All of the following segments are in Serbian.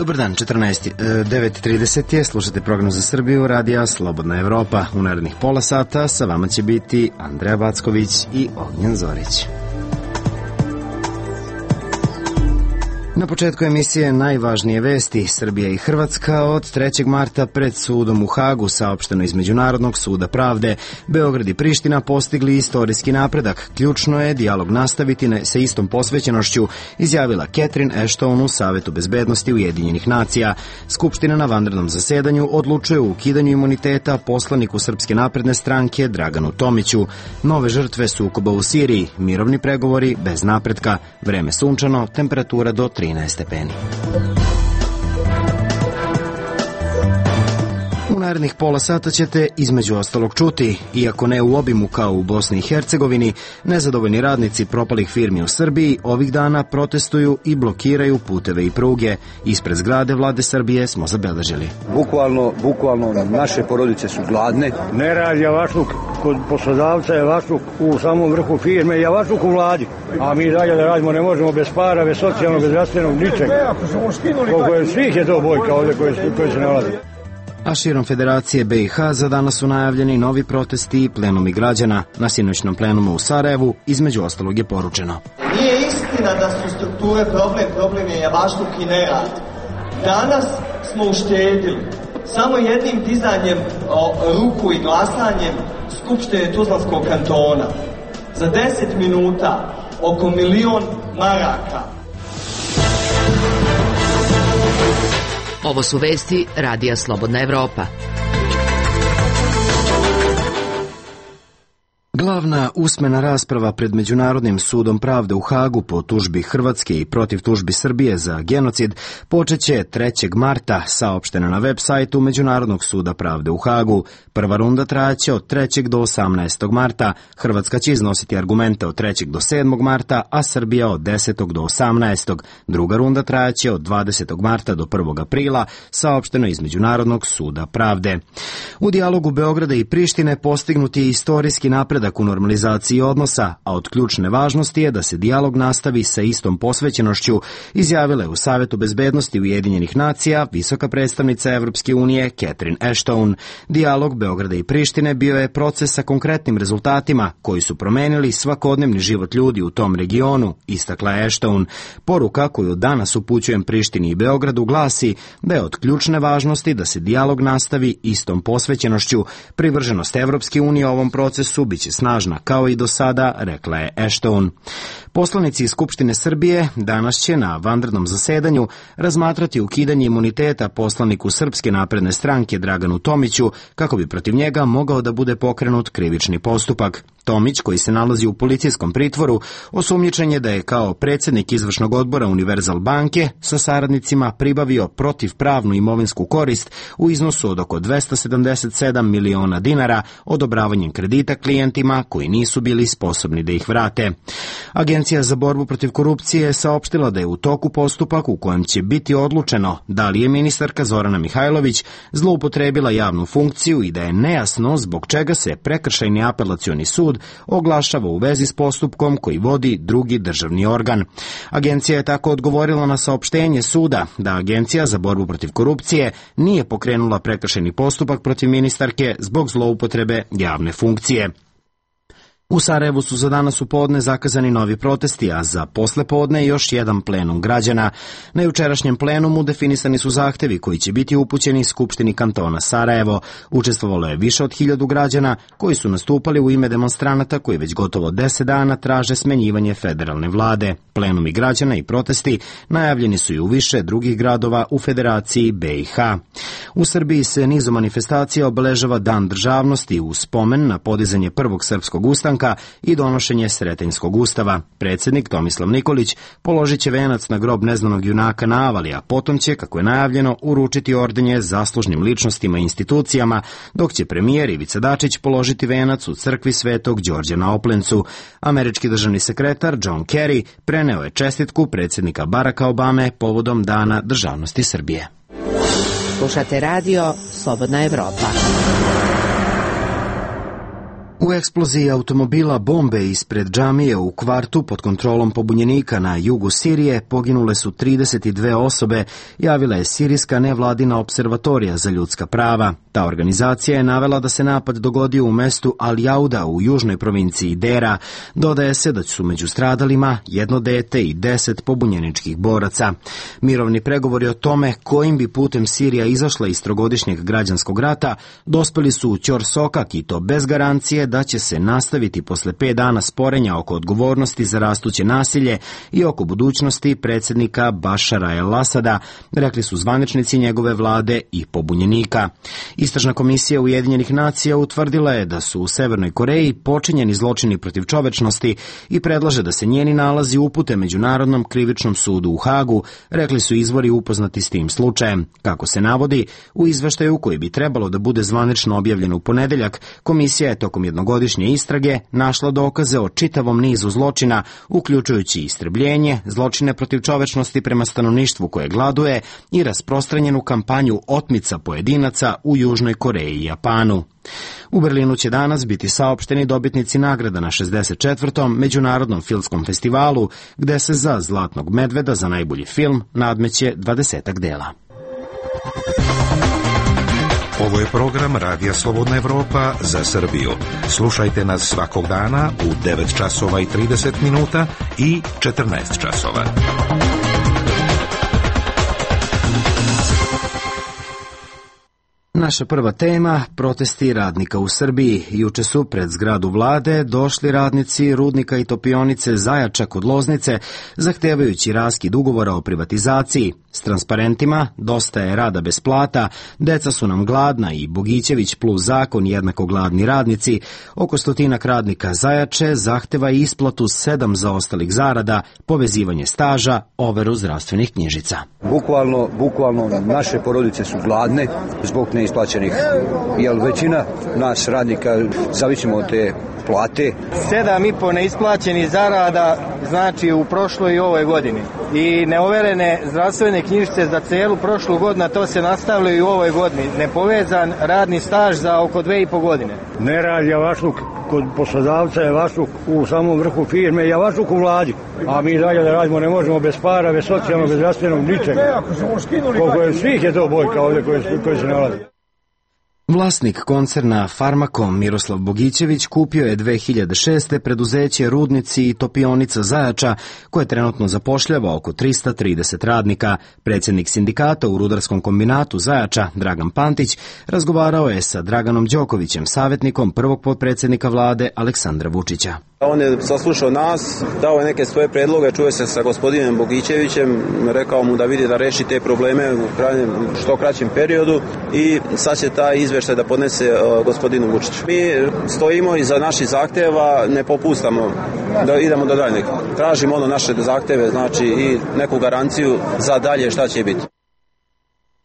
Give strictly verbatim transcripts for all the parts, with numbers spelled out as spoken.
Dobar dan, devet i trideset je, slušate program za Srbiju, radija Slobodna Evropa. U narednih pola sata sa vama će biti Andreja Backović i Ognjen Zorić. Na početku emisije najvažnije vesti. Srbija i Hrvatska od trećeg marta pred sudom u Hagu, saopšteno iz Međunarodnog suda pravde. Beograd i Priština postigli istorijski napredak. Ključno je dijalog nastaviti sa istom posvećenošću, izjavila Catherine Ashton u Savetu bezbednosti Ujedinjenih nacija. Skupština na vanrednom zasedanju odlučuje o ukidanju imuniteta poslaniku Srpske napredne stranke Draganu Tomiću. Nove žrtve sukoba u Siriji, mirovni pregovori bez napretka, vreme sunčano, temperatura do trinaest stepeni. U narednih pola sata ćete između ostalog čuti, iako ne u obimu kao u Bosni i Hercegovini, nezadovoljni radnici propalih firmi u Srbiji ovih dana protestuju i blokiraju puteve i pruge. Ispred zgrade vlade Srbije smo zabeležili. Bukvalno, bukvalno naše porodice su gladne. Ne radi javašluk kod poslodavca, javašluk u samom vrhu firme, javašluk u vladi. A mi dalje da radimo ne možemo bez para, bez socijalnog, bez zdravstvenog, ničega. Koliko je svih je to bojka ovdje koji, koji se nalazi. A širom Federacije B i H za danas su najavljeni novi protesti i plenumi građana. Na sinoćnom plenumu u Sarajevu između ostalog je poručeno: nije istina da su strukture problem, problem je javašluk i nerad. Danas smo uštedili samo jednim dizanjem o, ruku i glasanjem Skupštine Tuzlanskog kantona za deset minuta oko milion maraka. Ovo su vesti radija Slobodna Evropa. Glavna usmena rasprava pred Međunarodnim sudom pravde u Hagu po tužbi Hrvatske i protiv tužbi Srbije za genocid počeće trećeg marta, saopštena na web sajtu Međunarodnog suda pravde u Hagu. Prva runda trajaće od trećeg do osamnaestog marta, Hrvatska će iznositi argumente od trećeg do sedmog marta, a Srbija od desetog do osamnaestog. Druga runda trajaće od dvadesetog marta do prvog aprila, saopšteno iz Međunarodnog suda pravde. U dijalogu Beograda i Prištine postignut je istorijski napredak u normalizaciji odnosa, a od ključne važnosti je da se dijalog nastavi sa istom posvećenošću, izjavila je u Savetu bezbednosti Ujedinjenih nacija visoka predstavnica Evropske unije Catherine Ashton. Dijalog Beograda i Prištine bio je proces sa konkretnim rezultatima koji su promenili svakodnevni život ljudi u tom regionu, istakla je Ashton. Poruka koju danas upućujem Prištini i Beogradu glasi da je od ključne važnosti da se dijalog nastavi istom posvećenošću. Privrženost Evropske unije ovom procesu biće snažna kao i do sada, rekla je Ashton. Poslanici iz Skupštine Srbije danas će na vanrednom zasedanju razmatrati ukidanje imuniteta poslaniku Srpske napredne stranke Draganu Tomiću kako bi protiv njega mogao da bude pokrenut krivični postupak. Tomić, koji se nalazi u policijskom pritvoru, osumnjičen je da je kao predsjednik izvršnog odbora Univerzal banke sa saradnicima pribavio protivpravnu imovinsku korist u iznosu od oko dvesta sedamdeset sedam miliona dinara odobravanjem kredita klijentima koji nisu bili sposobni da ih vrate. Agencija za borbu protiv korupcije je saopštila da je u toku postupak u kojem će biti odlučeno da li je ministarka Zorana Mihajlović zloupotrebila javnu funkciju i da je nejasno zbog čega se prekršajni apelacioni sud oglašava u vezi s postupkom koji vodi drugi državni organ. Agencija je tako odgovorila na saopštenje suda da Agencija za borbu protiv korupcije nije pokrenula prekršajni postupak protiv ministarke zbog zloupotrebe javne funkcije. U Sarajevu su za danas u podne zakazani novi protesti, a za posle podne još jedan plenum građana. Na jučerašnjem plenumu definisani su zahtevi koji će biti upućeni Skupštini kantona Sarajevo. Učestvovalo je više od hiljadu građana koji su nastupali u ime demonstranata koji već gotovo deset dana traže smenjivanje federalne vlade. Plenumi građana i protesti najavljeni su i u više drugih gradova u Federaciji B i H. U Srbiji se nizu manifestacija obeležava Dan državnosti u spomen na podizanje prvog srpskog ustanka i donošenje Sretenjskog ustava. Predsjednik Tomislav Nikolić položit će venac na grob neznanog junaka na Avali, a potom će, kako je najavljeno, uručiti ordenje zaslužnim ličnostima i institucijama, dok će premijer Ivica Dačić položiti venac u crkvi Svetog Đorđa na Oplencu. Američki državni sekretar John Kerry preneo je čestitku predsjednika Baracka Obame povodom Dana državnosti Srbije. Slušate radio Slobodna Evropa. U eksploziji automobila bombe ispred džamije u kvartu pod kontrolom pobunjenika na jugu Sirije poginule su trideset dve osobe, javila je sirijska nevladina observatorija za ljudska prava. Ta organizacija je navela da se napad dogodio u mestu Al-Jauda u južnoj provinciji Dera. Dodaje se da su među stradalima jedno dete i deset pobunjeničkih boraca. Mirovni pregovori o tome kojim bi putem Sirija izašla iz trogodišnjeg građanskog rata dospeli su u Ćor Sokak i to bez garancije da će se nastaviti posle pet dana sporenja oko odgovornosti za rastuće nasilje i oko budućnosti predsjednika Bašara el-Asada, rekli su zvaničnici njegove vlade i pobunjenika. Istražna komisija Ujedinjenih nacija utvrdila je da su u Severnoj Koreji počinjeni zločini protiv čovečnosti i predlaže da se njeni nalazi upute Međunarodnom krivičnom sudu u Hagu, rekli su izvori upoznati s tim slučajem. Kako se navodi, u izveštaju koji bi trebalo da bude zvanično objavljen u ponedeljak, komisija je tokom jednogodišnje istrage našla dokaze o čitavom nizu zločina, uključujući istrebljenje, zločine protiv čovečnosti prema stanovništvu koje gladuje i rasprostranjenu kampanju otmica pojedinaca u Južnoj Koreji i Japanu. U Berlinu će danas biti saopšteni dobitnici nagrada na šezdeset četvrtom Međunarodnom filmskom festivalu, gde se za Zlatnog medveda za najbolji film nadmeće dvadesetak dela. Ovo je program Radija Slobodna Evropa za Srbiju. Slušajte nas svakog dana u devet časova i trideset minuta i četrnaest časova. Naša prva tema, protesti radnika u Srbiji. Juče su pred zgradu vlade došli radnici rudnika i topionice Zajača kod Loznice, zahtevajući raskid ugovora o privatizaciji. S transparentima dosta je rada bez plata, deca su nam gladna i Bogićević plus zakon jednako gladni radnici. Oko stotinak radnika Zajače zahteva isplatu sedam zaostalih zarada, povezivanje staža, overu zdravstvenih knjižica. Bukvalno, bukvalno naše porodice su gladne zbog neisplaćenih, jer većina nas radnika zavisimo od te plate. Sedam i po neisplaćenih zarada znači u prošloj i ovoj godini. I neoverene zdravstvene knjižice za celu prošlu godinu, to se nastavlja i u ovoj godini. Nepovezan radni staž za oko dve i po godine. Ne radi javašluk kod poslodavca, javašluk u samom vrhu firme, javašluk u vladi. A mi dalje da radimo ne možemo bez para, bez socijalnog, bez zdravstvenog, ničega. Koliko je svih je to bojka ovdje koji, koji se nalazi. Vlasnik koncerna Farmakom Miroslav Bogićević kupio je dve hiljade šeste. preduzeće Rudnici i topionica Zajača, koje trenutno zapošljava oko trista trideset radnika. Predsjednik sindikata u rudarskom kombinatu Zajača, Dragan Pantić, razgovarao je sa Draganom Đokovićem, savjetnikom prvog potpredsjednika vlade Aleksandra Vučića. On je saslušao nas, dao je neke svoje predloge, čuje se sa gospodinom Bogićevićem, rekao mu da vidi da reši te probleme u krajnjem, što kraćem periodu i sad će taj izveštaj da podnese uh, gospodinu Vučiću. Mi stojimo iza naših zahteva, ne popustamo, da idemo do daljnjeg. Tražimo ono naše zahteve, znači i neku garanciju za dalje šta će biti.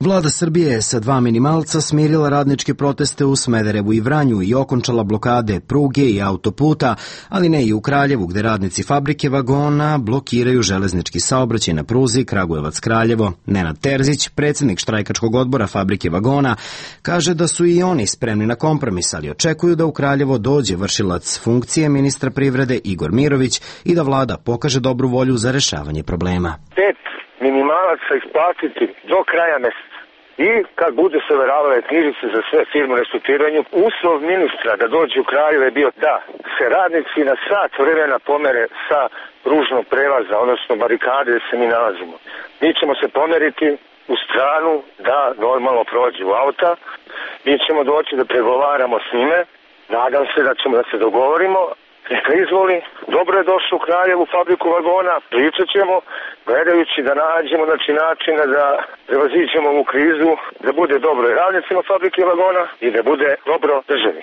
Vlada Srbije je sa dva minimalca smirila radničke proteste u Smederevu i Vranju i okončala blokade pruge i autoputa, ali ne i u Kraljevu, gde radnici fabrike vagona blokiraju železnički saobraćaj na pruzi Kragujevac-Kraljevo. Nenad Terzić, predsjednik štrajkačkog odbora fabrike vagona, kaže da su i oni spremni na kompromis, ali očekuju da u Kraljevo dođe vršilac funkcije ministra privrede Igor Mirović i da vlada pokaže dobru volju za rešavanje problema. Pet minimalaca isplatiti do kraja meseca. I kad budu se overavale knjižice za sve firme u restrukturiranju, uslov ministra da dođe u Kraljevo je bio da se radnici na sat vremena pomere sa pružnog prelaza, odnosno barikade gde se mi nalazimo. Mi ćemo se pomeriti u stranu da normalno prođe u auta, mi ćemo doći da pregovaramo s njime, nadam se da ćemo da se dogovorimo. Neka izvoli, dobro je došao u Kraljevu fabriku vagona, pričat ćemo, gledajući da nađemo znači, načina da prevaziđemo ovu krizu, da bude dobro i radnicima fabrike vagona i da bude dobro državi.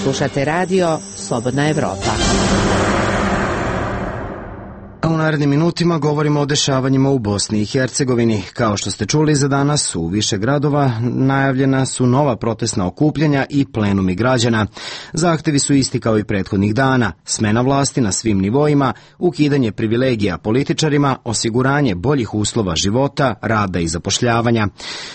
Slušate radio Slobodna Evropa. u narednim minutima govorimo o dešavanjima u Bosni i Hercegovini. Kao što ste čuli, za danas u više gradova najavljena su nova protestna okupljanja i plenumi građana. Zahtevi su isti kao i prethodnih dana: smena vlasti na svim nivoima, ukidanje privilegija političarima, osiguranje boljih uslova života, rada i zapošljavanja.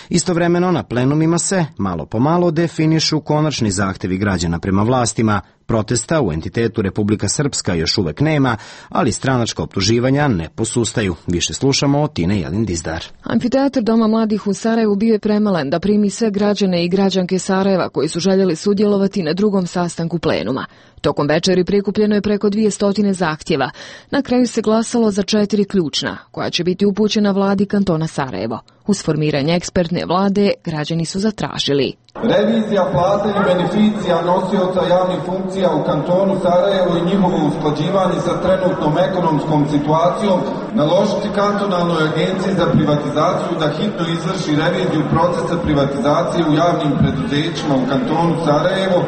Istovremeno na plenumima se, malo po malo, definišu konačni zahtevi građana prema vlastima. Protesta u entitetu Republika Srpska još uvek nema, ali stranačka optuživanja ne posustaju. Više slušamo od Tine Jelin-Dizdar. Amfiteatar Doma mladih u Sarajevu bio je premalen da primi sve građane i građanke Sarajeva koji su željeli sudjelovati na drugom sastanku plenuma. Tokom večeri prikupljeno je preko dvjesto zahtjeva. Na kraju se glasalo za četiri ključna, koja će biti upućena vladi kantona Sarajevo. Uz formiranje ekspertne vlade građani su zatražili: revizija plata i beneficija nosioca javnih funkcija u kantonu Sarajevo i njihovo usklađivanje sa trenutnom ekonomskom situacijom, naložiti kantonalnoj agenciji za privatizaciju da hitno izvrši reviziju procesa privatizacije u javnim preduzećima u kantonu Sarajevo,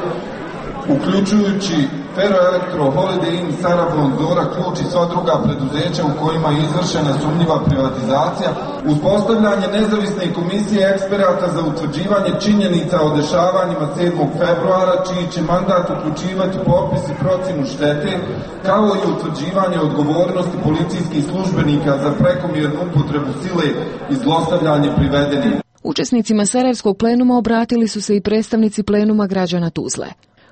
uključujući Ferroelektro, Holiday Inn, Sarabon, Zora, Ključ i sva druga preduzeća u kojima je izvršena sumnjiva privatizacija, uspostavljanje nezavisne komisije eksperata za utvrđivanje činjenica o dešavanjima sedmog februara, čiji će mandat uključivati popis i procjenu štete, kao i utvrđivanje odgovornosti policijskih službenika za prekomjernu upotrebu sile i zlostavljanje privedenih. Učesnicima Sarajevskog plenuma obratili su se i predstavnici plenuma građana Tuzle.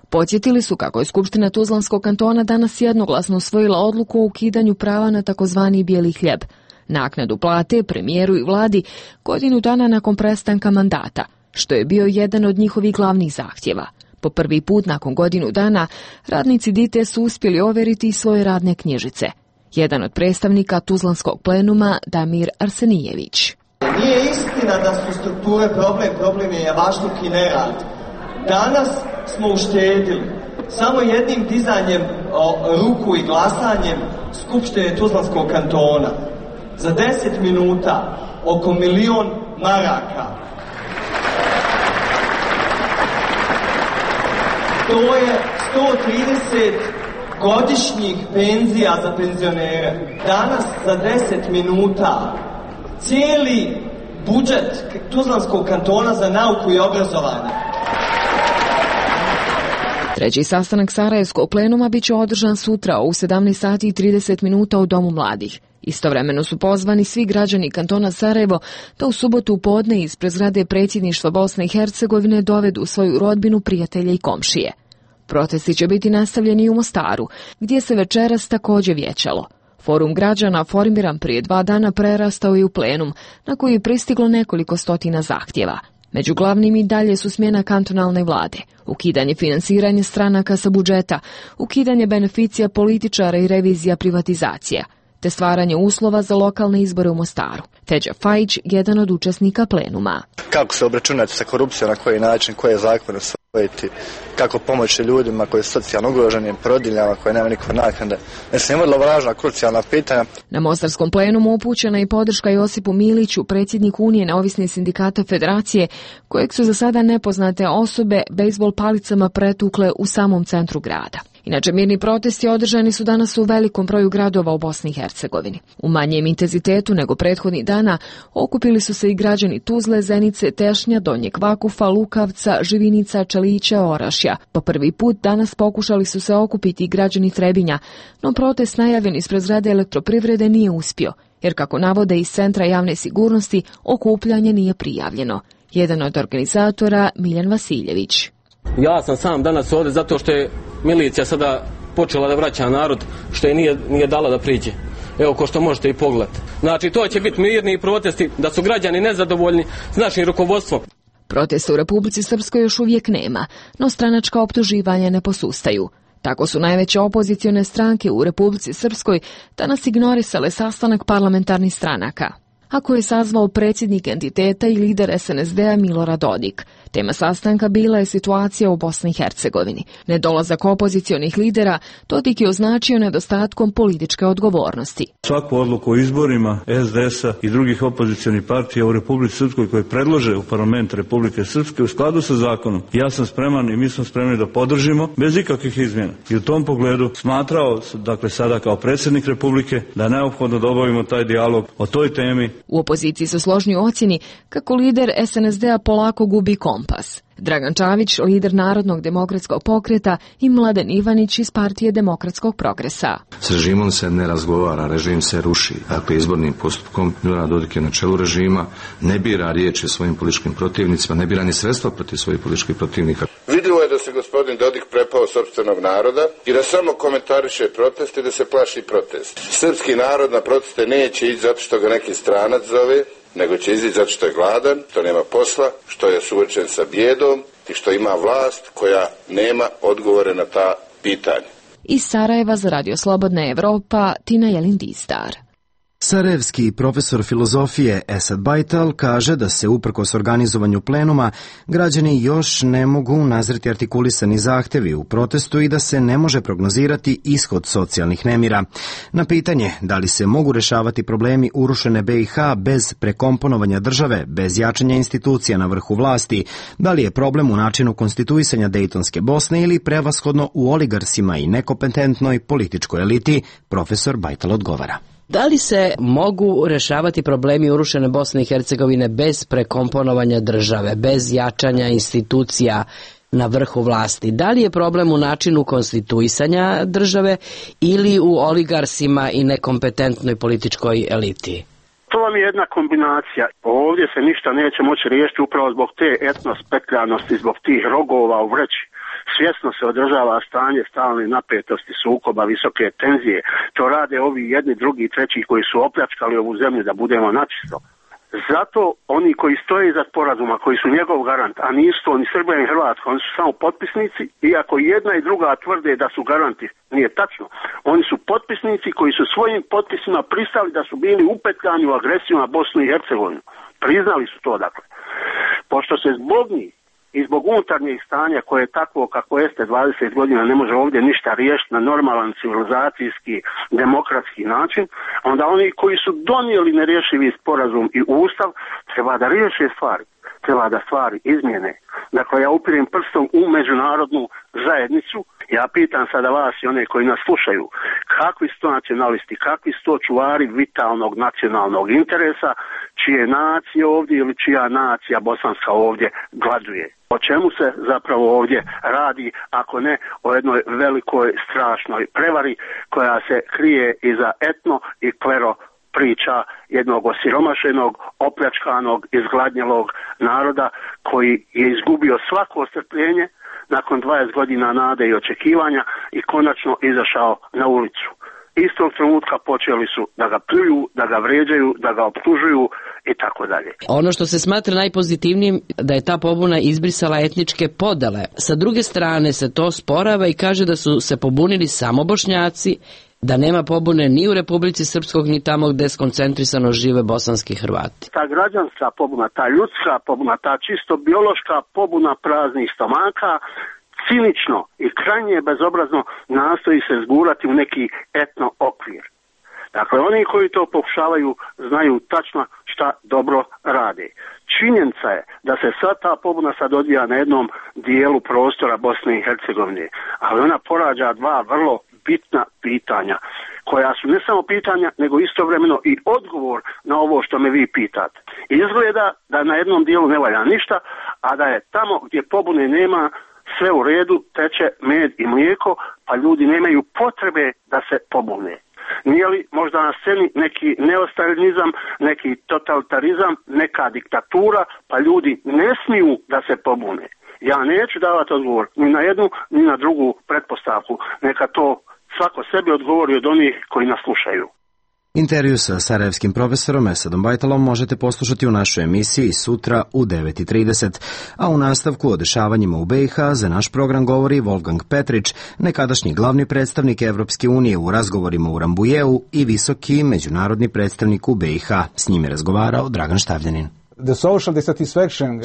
Podsjetili su kako je Skupština Tuzlanskog kantona danas jednoglasno usvojila odluku o ukidanju prava na takozvani bijeli hljeb, naknadu plate premijeru i vladi godinu dana nakon prestanka mandata, što je bio jedan od njihovih glavnih zahtjeva. Po prvi put nakon godinu dana radnici D I T E su uspjeli overiti svoje radne knjižice. Jedan od predstavnika Tuzlanskog plenuma, Damir Arsenijević. Nije istina da su strukture problem, problem je javašluk i nerad. Danas smo uštedili samo jednim dizanjem o, ruku i glasanjem Skupštine Tuzlanskog kantona za deset minuta oko milion maraka. To je sto trideset godišnjih penzija za penzionere. Danas za deset minuta cijeli budžet Tuzlanskog kantona za nauku i obrazovanje. Treći sastanak Sarajevskog plenuma bit će održan sutra u sedamnaest sati i trideset minuta u Domu mladih. Istovremeno su pozvani svi građani kantona Sarajevo da u subotu u podne ispred zgrade predsjedništva Bosne i Hercegovine dovedu svoju rodbinu, prijatelje i komšije. Protesti će biti nastavljeni i u Mostaru, gdje se večeras također vijećalo. Forum građana, formiran prije dva dana, prerastao je u plenum, na koji je pristiglo nekoliko stotina zahtjeva. Među glavnim i dalje su smjena kantonalne vlade, ukidanje financiranja stranaka sa budžeta, ukidanje beneficija političara i revizija privatizacija, te stvaranje uslova za lokalne izbore u Mostaru. Teđa Fajić, jedan od učesnika plenuma. Kako se obračunati sa korupcijom, na koji način, koje zakone usvojiti, kako pomoći ljudima koji su socijalno ugroženi, porodiljama koje nema nikakve naknade. Mislim, je vrlo važna, krucijalna pitanja. Na mostarskom plenumu upućena je podrška Josipu Miliću, predsjedniku Unije neovisnih sindikata Federacije, kojeg su za sada nepoznate osobe bejzbol palicama pretukle u samom centru grada. Inače, mirni protesti održani su danas u velikom broju gradova u Bosni i Hercegovini. U manjem intenzitetu nego prethodnih dana okupili su se i građani Tuzle, Zenice, Tešnja, Donjeg Vakufa, Lukavca, Živinica, Čelića, Orašja. Po prvi put danas pokušali su se okupiti i građani Trebinja, no protest najavljen ispred zgrade Elektroprivrede nije uspio, jer kako navode iz Centra javne sigurnosti, okupljanje nije prijavljeno. Jedan od organizatora, Miljan Vasiljević. Ja sam sam danas ovdje zato što je milicija sada počela da vraća narod, što je nije, nije dala da priđe. Evo, ko što možete i pogledati. Znači, to će biti mirni protesti, da su građani nezadovoljni s našim rukovodstvom. Protesta u Republici Srpskoj još uvijek nema, no stranačka optuživanja ne posustaju. Tako su najveće opozicione stranke u Republici Srpskoj danas ignorisale sastanak parlamentarnih stranaka, ako je sazvao predsjednik entiteta i lider S N S D-a Milorad Dodik, Tema sastanka bila je situacija u Bosni i Hercegovini. Nedolazak opozicionih lidera Dodik je označio nedostatkom političke odgovornosti. Svaku odluku o izborima es de es a i drugih opozicionih partija u Republici Srpskoj koje predlože u parlament Republike Srpske u skladu sa zakonom, ja sam spreman i mi smo spremni da podržimo bez ikakvih izmjena. I u tom pogledu smatrao, dakle sada kao predsjednik Republike, da je neophodno da obavimo taj dijalog o toj temi. U opoziciji su složni u ocjeni kako lider es en es de a polako gubi kompas. Dragan Čavić, lider Narodnog demokratskog pokreta, i Mladen Ivanić iz Partije demokratskog progresa. S režimom se ne razgovara, režim se ruši. Dakle, izbornim postupkom Milorad Dodik je na čelu režima, ne bira riječi svojim političkim protivnicima, ne bira ni sredstva protiv svojih političkih protivnika. Vidljivo je da se gospodin Dodik prepao sopstvenog naroda i da samo komentariše protest i da se plaši protest. Srpski narod na proteste neće ići zato što ga neki stranac zove, nego će izići zato što je gladan, što nema posla, što je suočen sa bijedom i što ima vlast koja nema odgovore na ta pitanja. Iz Sarajeva za Radio Slobodna Evropa, Tina Jelin-Distar. Sarajevski profesor filozofije Esad Bajtal kaže da se uprkos organizovanju plenuma građani još ne mogu nazreti artikulisani zahtevi u protestu i da se ne može prognozirati ishod socijalnih nemira. Na pitanje da li se mogu rešavati problemi urušene be i ha bez prekomponovanja države, bez jačanja institucija na vrhu vlasti, da li je problem u načinu konstituisanja Dejtonske Bosne ili prevashodno u oligarsima i nekompetentnoj političkoj eliti, profesor Bajtal odgovara. Da li se mogu rešavati problemi urušene Bosne i Hercegovine bez prekomponovanja države, bez jačanja institucija na vrhu vlasti? Da li je problem u načinu konstituisanja države ili u oligarsima i nekompetentnoj političkoj eliti? To vam je jedna kombinacija. Ovdje se ništa neće moći riješiti upravo zbog te etnospetljanosti, zbog tih rogova u vreći. Svjesno se održava stanje stalne napetosti, sukoba, visoke tenzije. To rade ovi jedni, drugi, treći koji su opljačkali ovu zemlju, da budemo načisto. Zato oni koji stoje iza sporazuma, koji su njegov garant, a nisu to ni Srbija ni Hrvatska, oni su samo potpisnici, iako jedna i druga tvrde da su garanti, nije tačno. Oni su potpisnici koji su svojim potpisima pristali da su bili upetljani u agresiju na Bosnu i Hercegovinu. Priznali su to, dakle. Pošto se zbog njih i zbog unutarnjeg stanja koje je takvo kako jeste dvadeset godina ne može ovdje ništa riješiti na normalan civilizacijski demokratski način, onda oni koji su donijeli nerješivi sporazum i ustav treba da riješe stvari, treba da stvari izmjene. Dakle, ja upirem prstom u međunarodnu zajednicu. Ja pitam sada vas i one koji nas slušaju, kakvi su to nacionalisti, kakvi su to čuvari vitalnog nacionalnog interesa, čije nacije ovdje ili čija nacija bosanska ovdje gladuje. O čemu se zapravo ovdje radi, ako ne o jednoj velikoj strašnoj prevari koja se krije iza etno i klero priča jednog osiromašenog, opljačkanog, izgladnjelog naroda koji je izgubio svako strpljenje nakon dvadeset godina nade i očekivanja i konačno izašao na ulicu. Istog trenutka počeli su da ga pljuju, da ga vređaju, da ga optužuju i tako dalje. Ono što se smatra najpozitivnijim da je ta pobuna izbrisala etničke podele. Sa druge strane se to sporava i kaže da su se pobunili samo Bošnjaci, da nema pobune ni u Republici Srpskog ni tamo gde skoncentrisano žive bosanski Hrvati. Ta građanska pobuna, ta ljudska pobuna, ta čisto biološka pobuna praznih stomaka cinično i krajnje bezobrazno nastoji se zgurati u neki etno okvir. Dakle, oni koji to pokušavaju znaju tačno šta dobro rade. Činjenica je da se sad ta pobuna sad odvija na jednom dijelu prostora Bosne i Hercegovine, ali ona porađa dva vrlo bitna pitanja, koja su ne samo pitanja, nego istovremeno i odgovor na ovo što me vi pitate. Izgleda da na jednom dijelu ne valja ništa, a da je tamo gdje pobune nema sve u redu, teče med i mlijeko, pa ljudi nemaju potrebe da se pobune. Nije li možda na sceni neki neostalinizam, neki totalitarizam, neka diktatura, pa ljudi ne smiju da se pobune? Ja neću davati odgovor ni na jednu, ni na drugu pretpostavku. Neka to svako sebi odgovori od onih koji nas slušaju. Intervju sa sarajevskim profesorom Esadom Bajtalom možete poslušati u našoj emisiji sutra u devet i trideset, a u nastavku o dešavanjima u be i ha za naš program govori Wolfgang Petrić, nekadašnji glavni predstavnik Evropske unije u razgovorima u Rambujeu i visoki međunarodni predstavnik u be i ha. S njim je razgovarao Dragan Štavljanin.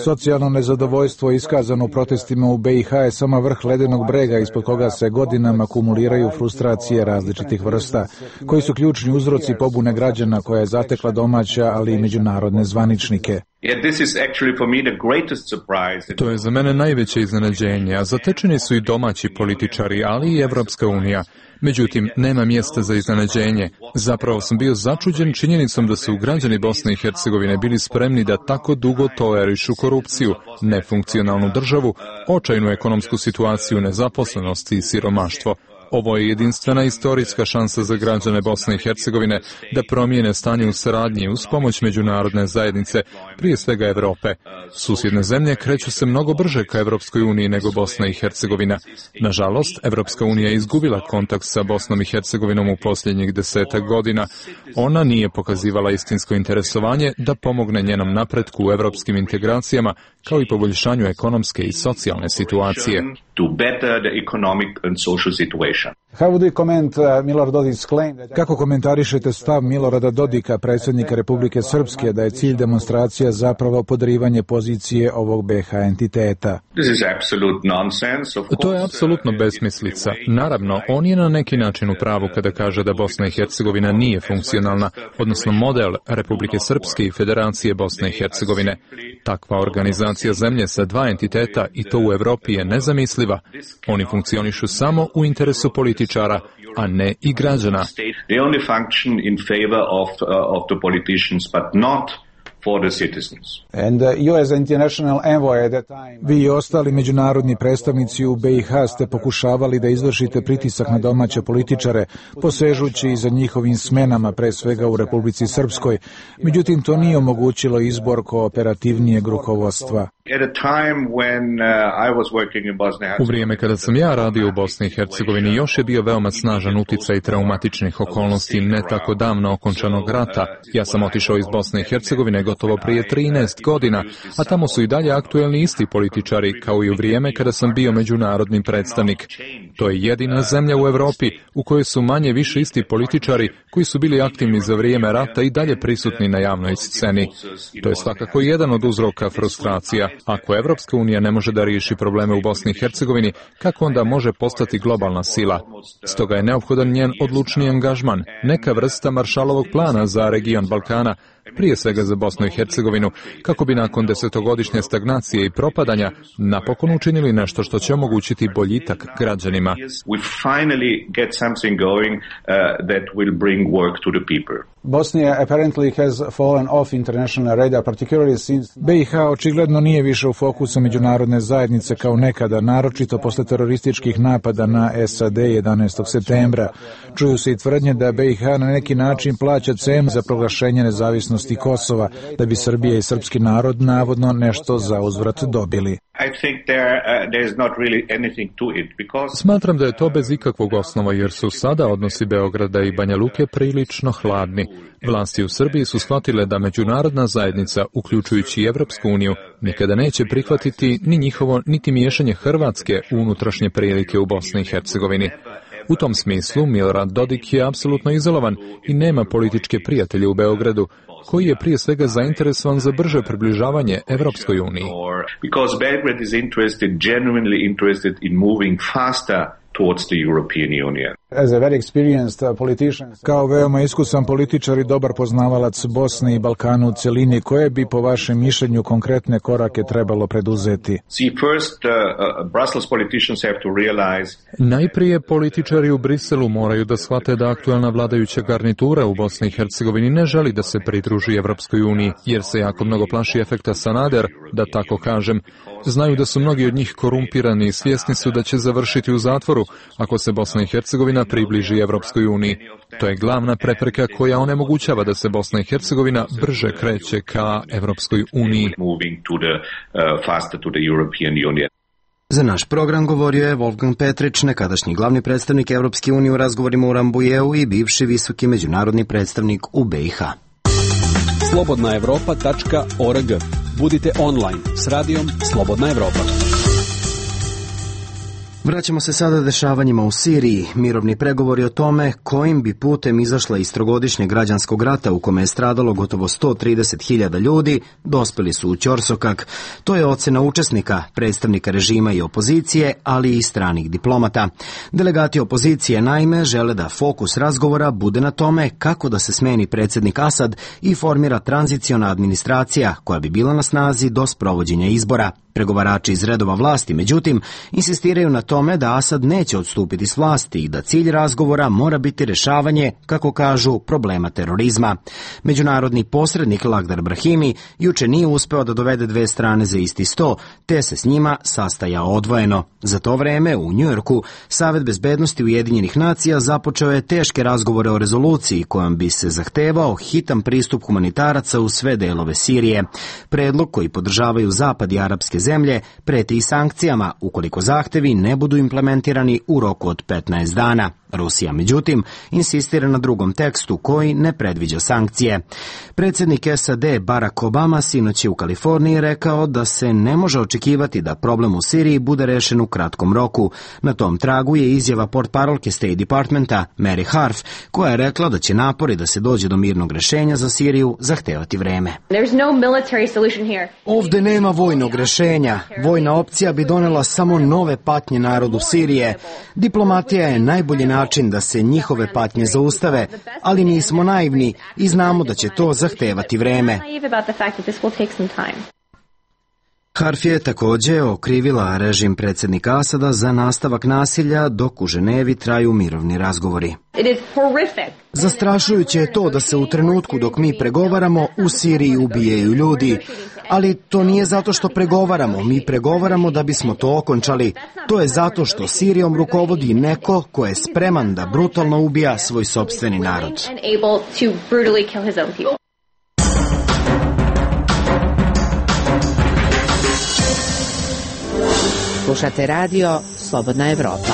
Socijalno nezadovoljstvo iskazano u protestima u B i H je samo vrh ledenog brega ispod koga se godinama kumuliraju frustracije različitih vrsta, koji su ključni uzroci pobune građana koja je zatekla domaća, ali i međunarodne zvaničnike. To je za mene najveće iznenađenje, a zatečeni su i domaći političari, ali i Evropska unija. Međutim, nema mjesta za iznenađenje. Zapravo sam bio začuđen činjenicom da su građani Bosne i Hercegovine bili spremni da tako dugo tolerišu korupciju, nefunkcionalnu državu, očajnu ekonomsku situaciju, nezaposlenost i siromaštvo. Ovo je jedinstvena istorijska šansa za građane Bosne i Hercegovine da promijene stanje u saradnji uz pomoć međunarodne zajednice, prije svega Evrope. Susjedne zemlje kreću se mnogo brže ka Evropskoj uniji nego Bosna i Hercegovina. Nažalost, Evropska unija je izgubila kontakt sa Bosnom i Hercegovinom u posljednjih desetak godina. Ona nije pokazivala istinsko interesovanje da pomogne njenom napretku u evropskim integracijama, kao i poboljšanju ekonomske i socijalne situacije. Kako komentarišete stav Milorada Dodika, predsjednika Republike Srpske, da je cilj demonstracija zapravo podrivanje pozicije ovog B i H entiteta? To je apsolutno besmislica. Naravno, on je na neki način u pravu kada kaže da Bosna i Hercegovina nije funkcionalna, odnosno model Republike Srpske i Federacije Bosne i Hercegovine. Takva organizacija zemlje sa dva entiteta, i to u Evropi, je nezamisliva. Oni funkcionišu samo u interesu političara, a ne i građana. Vi i ostali međunarodni predstavnici u B i H ste pokušavali da izvršite pritisak na domaće političare, posežući i za njihovim smenama, pre svega u Republici Srpskoj. Međutim, to nije omogućilo izbor kooperativnijeg rukovodstva. U vrijeme kada sam ja radio u Bosni i Hercegovini, još je bio veoma snažan uticaj traumatičnih okolnosti ne tako davno okončanog rata. Ja sam otišao iz Bosne i Hercegovine gotovo prije trinaest godina, a tamo su i dalje aktuelni isti političari, kao i u vrijeme kada sam bio međunarodni predstavnik. To je jedina zemlja u Evropi u kojoj su manje više isti političari koji su bili aktivni za vrijeme rata i dalje prisutni na javnoj sceni. To je svakako jedan od uzroka frustracija. Ako Evropska unija ne može da riješi probleme u Bosni i Hercegovini, kako onda može postati globalna sila? Stoga je neophodan njen odlučni angažman, neka vrsta Maršalovog plana za region Balkana, prije svega za Bosnu i Hercegovinu, kako bi nakon desetogodišnje stagnacije i propadanja napokon učinili nešto što će omogućiti boljitak građanima. B i H očigledno nije više u fokusu međunarodne zajednice kao nekada, naročito posle terorističkih napada na S A D jedanaestog septembra. Čuju se i tvrdnje da B i H na neki način plaća cenu za proglašenje nezavisnosti Kosova, da bi Srbija i srpski narod navodno nešto za uzvrat dobili. Smatram da je to bez ikakvog osnova, jer su sada odnosi Beograda i Banja Luke prilično hladni. Vlasti u Srbiji su shvatile da međunarodna zajednica, uključujući i Evropsku uniju, nikada neće prihvatiti ni njihovo, niti miješanje Hrvatske u unutrašnje prilike u Bosni i Hercegovini. U tom smislu Milorad Dodik je apsolutno izolovan i nema političke prijatelje u Beogradu, koji je prije svega zainteresovan za brže približavanje Evropskoj uniji. Because Belgrade is interested, genuinely interested in moving faster towards the European Union. Kao veoma iskusan političar i dobar poznavalac Bosne i Balkana u cjelini, koje bi po vašem mišljenju konkretne korake trebalo preduzeti? Najprije političari u Briselu moraju da shvate da aktualna vladajuća garnitura u Bosni i Hercegovini ne želi da se pridruži Evropskoj uniji, jer se jako mnogo plaši efekta Sanader, da tako kažem. Znaju da su mnogi od njih korumpirani i svjesni su da će završiti u zatvoru ako se Bosna i Hercegovina približi Evropskoj uniji. To je glavna prepreka koja onemogućava da se Bosna i Hercegovina brže kreće ka Evropskoj uniji. Za naš program govorio je Wolfgang Petrić, nekadašnji glavni predstavnik Evropske unije u razgovorima u Rambujeu i bivši visoki međunarodni predstavnik u B i H. slobodna evropa tačka org. Budite online s radijom Slobodna Evropa. Vraćamo se sada dešavanjima u Siriji. Mirovni pregovori o tome kojim bi putem izašla iz trogodišnjeg građanskog rata u kome je stradalo gotovo sto trideset hiljada ljudi, dospeli su u ćorsokak. To je ocena učesnika, predstavnika režima i opozicije, ali i stranih diplomata. Delegati opozicije naime žele da fokus razgovora bude na tome kako da se smeni predsjednik Asad i formira tranziciona administracija koja bi bila na snazi do sprovođenja izbora. Pregovarači iz redova vlasti, međutim, insistiraju na tome da Asad neće odstupiti s vlasti i da cilj razgovora mora biti rješavanje, kako kažu, problema terorizma. Međunarodni posrednik Lakhdar Brahimi juče nije uspeo da dovede dve strane za isti sto, te se s njima sastajao odvojeno. Za to vreme u Njujorku Savet bezbednosti Ujedinjenih nacija započeo je teške razgovore o rezoluciji kojom bi se zahtevao hitan pristup humanitaraca u sve delove Sirije. Predlog koji podržavaju Zapad i arapske zemlje preti i sankcijama ukoliko zahtevi ne budu implementirani u roku od petnaest dana. Rusija, međutim, insistira na drugom tekstu koji ne predviđa sankcije. Predsjednik S A D Barack Obama sinoć je u Kaliforniji rekao da se ne može očekivati da problem u Siriji bude rešen u kratkom roku. Na tom tragu je izjava portparolke State Departmenta Mary Harf, koja je rekla da će napori da se dođe do mirnog rešenja za Siriju zahtevati vreme. Ovde nema vojnog rešenja. Vojna opcija bi donela samo nove patnje narodu Sirije. Diplomatija je najbolji način način da se njihove patnje zaustave, ali nismo naivni i znamo da će to zahtevati vreme. Harf je također okrivila režim predsjednika Asada za nastavak nasilja dok u Ženevi traju mirovni razgovori. Zastrašujuće je to da se u trenutku dok mi pregovaramo u Siriji ubijaju ljudi, ali to nije zato što pregovaramo, mi pregovaramo da bismo to okončali. To je zato što Sirijom rukovodi neko ko je spreman da brutalno ubija svoj sopstveni narod. Slušate radio Slobodna Evropa.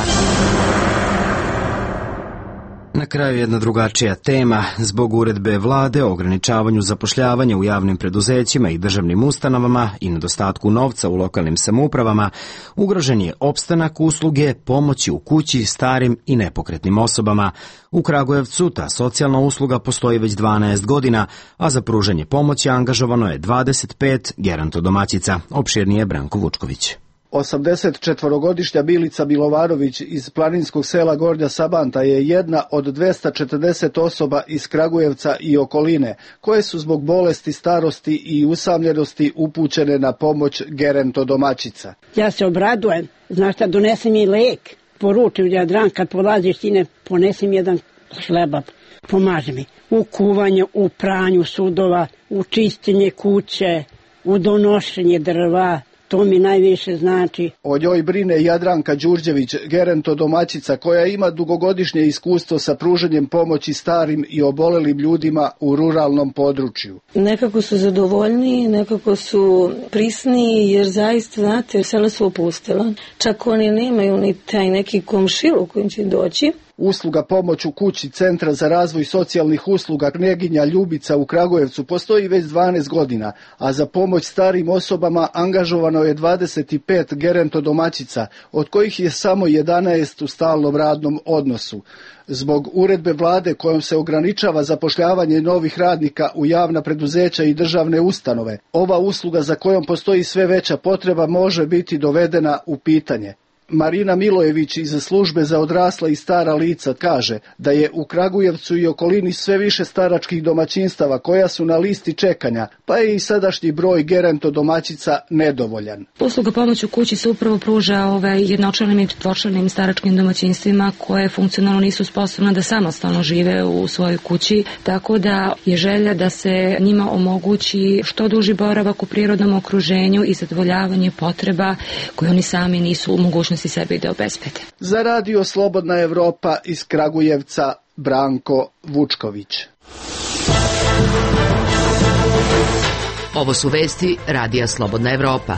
Na kraju jedna drugačija tema. Zbog uredbe vlade o ograničavanju zapošljavanja u javnim preduzećima i državnim ustanovama i nedostatku novca u lokalnim samoupravama, ugrožen je opstanak usluge pomoći u kući starim i nepokretnim osobama. U Kragujevcu ta socijalna usluga postoji već dvanaest godina, a za pružanje pomoći angažovano je dvadeset pet gerontodomaćica. Opširnije Branko Vučković. osamdesetčetvorogodišnja Bilica Milovarović iz planinskog sela Gornja Sabanta je jedna od dvesta četrdeset osoba iz Kragujevca i okoline, koje su zbog bolesti, starosti i usamljenosti upućene na pomoć gerontodomaćica. Ja se obradujem, znaš šta, donesi mi lek, poručim Jadran, kad polaziš ti ne, ponesi mi jedan hleba, pomaže mi u kuvanju, u pranju sudova, u čišćenje kuće, u donošenje drva. To mi najviše znači. O njoj brine Jadranka Đurđević, gerontodomaćica koja ima dugogodišnje iskustvo sa pružanjem pomoći starim i obolelim ljudima u ruralnom području. Nekako su zadovoljniji, nekako su prisniji, jer zaista, znate, sela su opustila. Čak oni nemaju ni taj neki komšil u kojim će doći. Usluga pomoć u kući Centra za razvoj socijalnih usluga Kneginja Ljubica u Kragujevcu postoji već dvanaest godina, a za pomoć starim osobama angažovano je dvadeset pet gerontodomaćica, od kojih je samo jedanaest u stalnom radnom odnosu. Zbog uredbe vlade kojom se ograničava zapošljavanje novih radnika u javna preduzeća i državne ustanove, ova usluga za kojom postoji sve veća potreba može biti dovedena u pitanje. Marina Milojević iz službe za odrasla i stara lica kaže da je u Kragujevcu i okolini sve više staračkih domaćinstava koja su na listi čekanja, pa je i sadašnji broj gerontodomaćica nedovoljan. Usluga pomoć u kući se upravo pruža ovaj, jednočlanim i četvoročlanim staračkim domaćinstvima koje funkcionalno nisu sposobne da samostalno žive u svojoj kući, tako da je želja da se njima omogući što duži boravak u prirodnom okruženju i zadovoljavanje potreba koje oni sami nisu u mogućnosti i sebi da obezbede. Za radio Slobodna Evropa iz Kragujevca, Branko Vučković. Ovo su vesti radija Slobodna Evropa.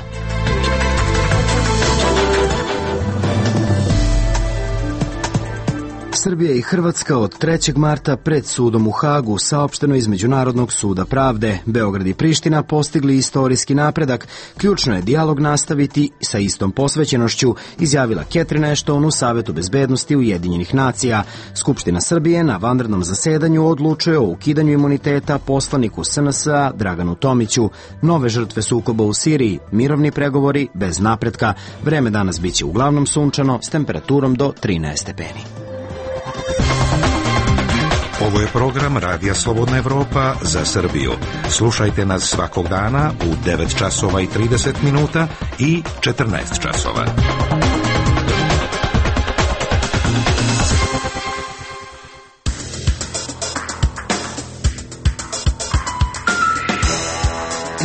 Srbija i Hrvatska od trećeg marta pred sudom u Hagu, saopšteno iz Međunarodnog suda pravde. Beograd i Priština postigli istorijski napredak. Ključno je dijalog nastaviti sa istom posvećenošću, izjavila Catherine Ashton u Savetu bezbednosti Ujedinjenih nacija. Skupština Srbije na vanrednom zasedanju odlučuje o ukidanju imuniteta poslaniku S N S-a Draganu Tomiću. Nove žrtve sukoba u Siriji, mirovni pregovori bez napretka. Vreme danas biće uglavnom sunčano s temperaturom do trinaest stepeni. Ovo je program Radija Slobodna Evropa za Srbiju. Slušajte nas svakog dana u devet časova i trideset minuta i četrnaest časova.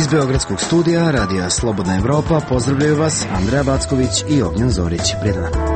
Iz Beogradskog studija Radija Slobodna Evropa pozdravljaju vas Andreja Backović i Ognjen Zorić. Prijatno.